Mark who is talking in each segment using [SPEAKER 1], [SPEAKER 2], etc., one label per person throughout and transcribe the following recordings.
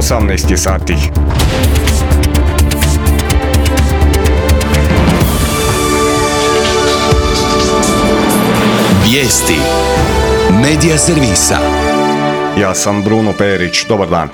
[SPEAKER 1] 18 je sati.
[SPEAKER 2] Vijesti Medija servisa.
[SPEAKER 1] Ja sam Bruno Perić, dobar dan.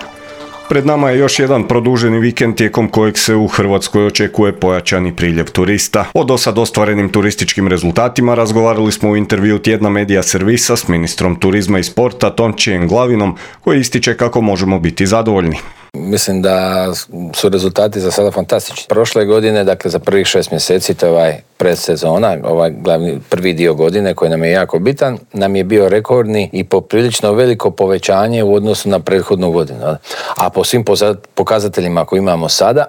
[SPEAKER 1] Pred nama je još jedan produženi vikend tijekom kojeg se u Hrvatskoj očekuje pojačani priljev turista. O dosad ostvarenim turističkim rezultatima razgovarali smo u intervju tjedna Medija servisa s ministrom turizma i sporta Tončijem Glavinom, koji ističe kako možemo biti zadovoljni.
[SPEAKER 3] Mislim da su rezultati za sada fantastični. Prošle godine, dakle za prvih 6 mjeseci, to je ovaj predsezona, ovaj glavni prvi dio godine koji nam je jako bitan, nam je bio rekordni i poprilično veliko povećanje u odnosu na prethodnu godinu. A po svim pokazateljima koje imamo sada,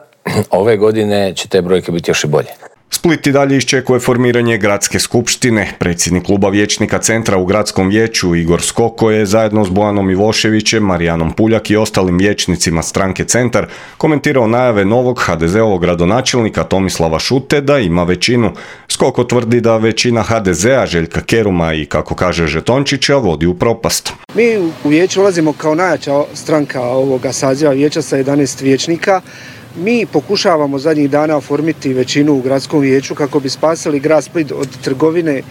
[SPEAKER 3] ove godine će te brojke biti još i bolje.
[SPEAKER 1] Split i dalje iščekuje formiranje gradske skupštine. Predsjednik kluba vijećnika Centra u gradskom vijeću Igor Skoko je zajedno s Bojanom Ivoševićem, Marijanom Puljak i ostalim vijećnicima stranke Centar komentirao najave novog HDZ-ovog gradonačelnika Tomislava Šute da ima većinu. Skoko tvrdi da većina HDZ-a Željka Keruma i, kako kaže Žetončića, vodi u propast.
[SPEAKER 4] Mi u vijeću ulazimo kao najjača stranka ovoga saziva vijeća sa 11 vijećnika. Mi pokušavamo zadnjih dana oformiti većinu u gradskom vijeću kako bi spasili grad Split od trgovine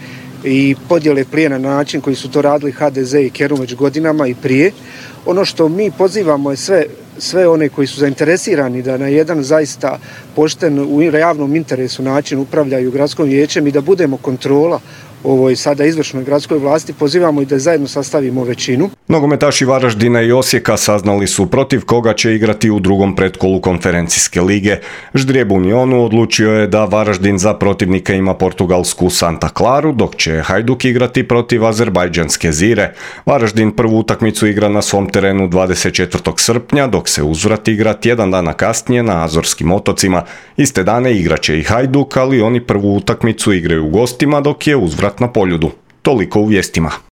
[SPEAKER 4] i podjele plijena na način koji su to radili HDZ i Kerum već godinama i prije. Ono što mi pozivamo je sve one koji su zainteresirani da na jedan zaista pošten u javnom interesu način upravljaju gradskom vijećem i da budemo kontrola ovoj sada izvršnoj gradskoj vlasti, pozivamo i da zajedno sastavimo većinu.
[SPEAKER 1] Nogometaši Varaždina i Osijeka saznali su protiv koga će igrati u drugom pretkolu konferencijske lige. Ždrijeb Unionu odlučio je da Varaždin za protivnika ima portugalsku Santa Claru, dok će Hajduk igrati protiv azerbajdžanske Zire. Varaždin prvu utakmicu igra na svom terenu 24. srpnja, dok se uzvrat igra tjedan dana kasnije na Azorskim otocima. Iste dane igraće i Hajduk, ali oni prvu utakmicu igraju u gostima, dok je uzvrat na Poljudu. Toliko u vijestima.